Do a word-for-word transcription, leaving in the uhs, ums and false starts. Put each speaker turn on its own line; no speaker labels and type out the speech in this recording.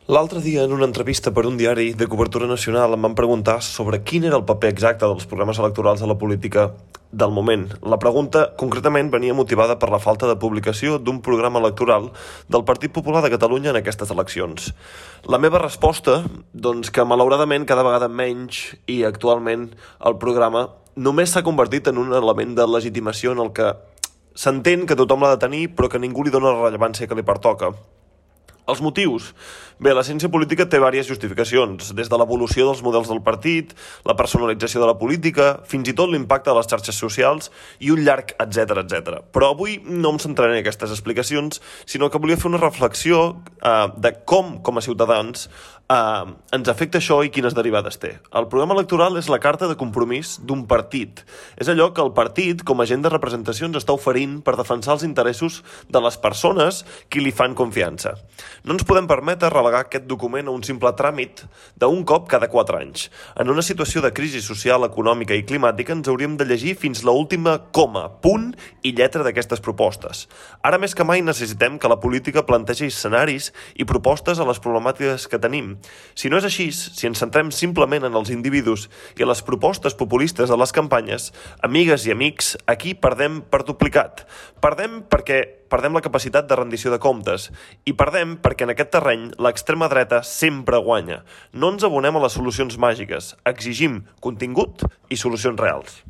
L'altre dia, en una entrevista per un diari de cobertura nacional, em van preguntar sobre quin era el paper exacte dels programes electorals a la política del moment. La pregunta, concretament, venia motivada per la falta de publicació d'un programa electoral del Partit Popular de Catalunya en aquestes eleccions. La meva resposta, doncs que malauradament cada vegada menys i actualment el programa només s'ha convertit en un element de legitimació en el que s'entén que tothom l'ha de tenir però que ningú li dona la rellevància que li pertoca. Els motius? Bé, la ciència política té diverses justificacions, des de l'evolució dels models del partit, la personalització de la política, fins i tot l'impacte de les xarxes socials i un llarg etcètera, etcètera. Però avui no em centraré en aquestes explicacions, sinó que volia fer una reflexió eh, de com, com a ciutadans, eh, ens afecta això i quines derivades té. El programa electoral és la carta de compromís d'un partit. És allò que el partit, com a agent de representació, ens està oferint per defensar els interessos de les persones qui li fan confiança. No ens podem permetre relegar aquest document a un simple tràmit d'un cop cada quatre anys. En una situació de crisi social, econòmica i climàtica ens hauríem de llegir fins l'última coma, punt i lletra d'aquestes propostes. Ara més que mai necessitem que la política plantegi escenaris i propostes a les problemàtiques que tenim. Si no és així, si ens centrem simplement en els individus i les propostes populistes de les campanyes, amigues i amics, aquí perdem per duplicat. Perdem perquè perdem la capacitat de rendició de comptes i perdem perquè en aquest terreny l'extrema dreta sempre guanya. No ens abonem a les solucions màgiques, exigim contingut i solucions reals.